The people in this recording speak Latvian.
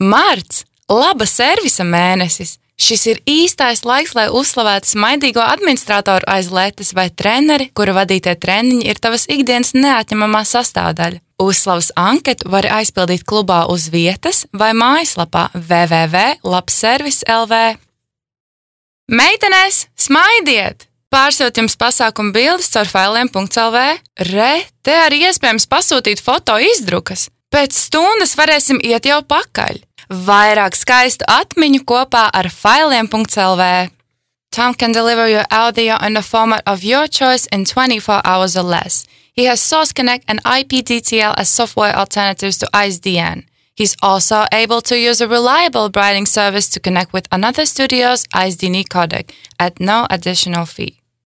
Marts – laba servisa mēnesis. Šis ir īstais laiks, lai uzslavētu smaidīgo administratoru aiz letes vai treneri, kura vadītie treniņi ir tavas ikdienas neatņemamā sastāvdaļa. Uzslavas anketu vari aizpildīt klubā uz vietas vai mājaslapā www.labservis.lv. Meitenēs, smaidiet! Pārsūt jums pasākumu bildes caur failiem.lv. Te arī iespējams pasūtīt foto izdrukas. Pēc stundas varēsim iet jau pakaļ. Vairāk skaistu atmiņu kopā ar failiem.lv. Tom can deliver your audio in the format of your choice in 24 hours or less. He has Source Connect and IPDTL as software alternatives to IceDN. He's also able to use a reliable writing service to connect with another studio's IceDN codec at no additional fee.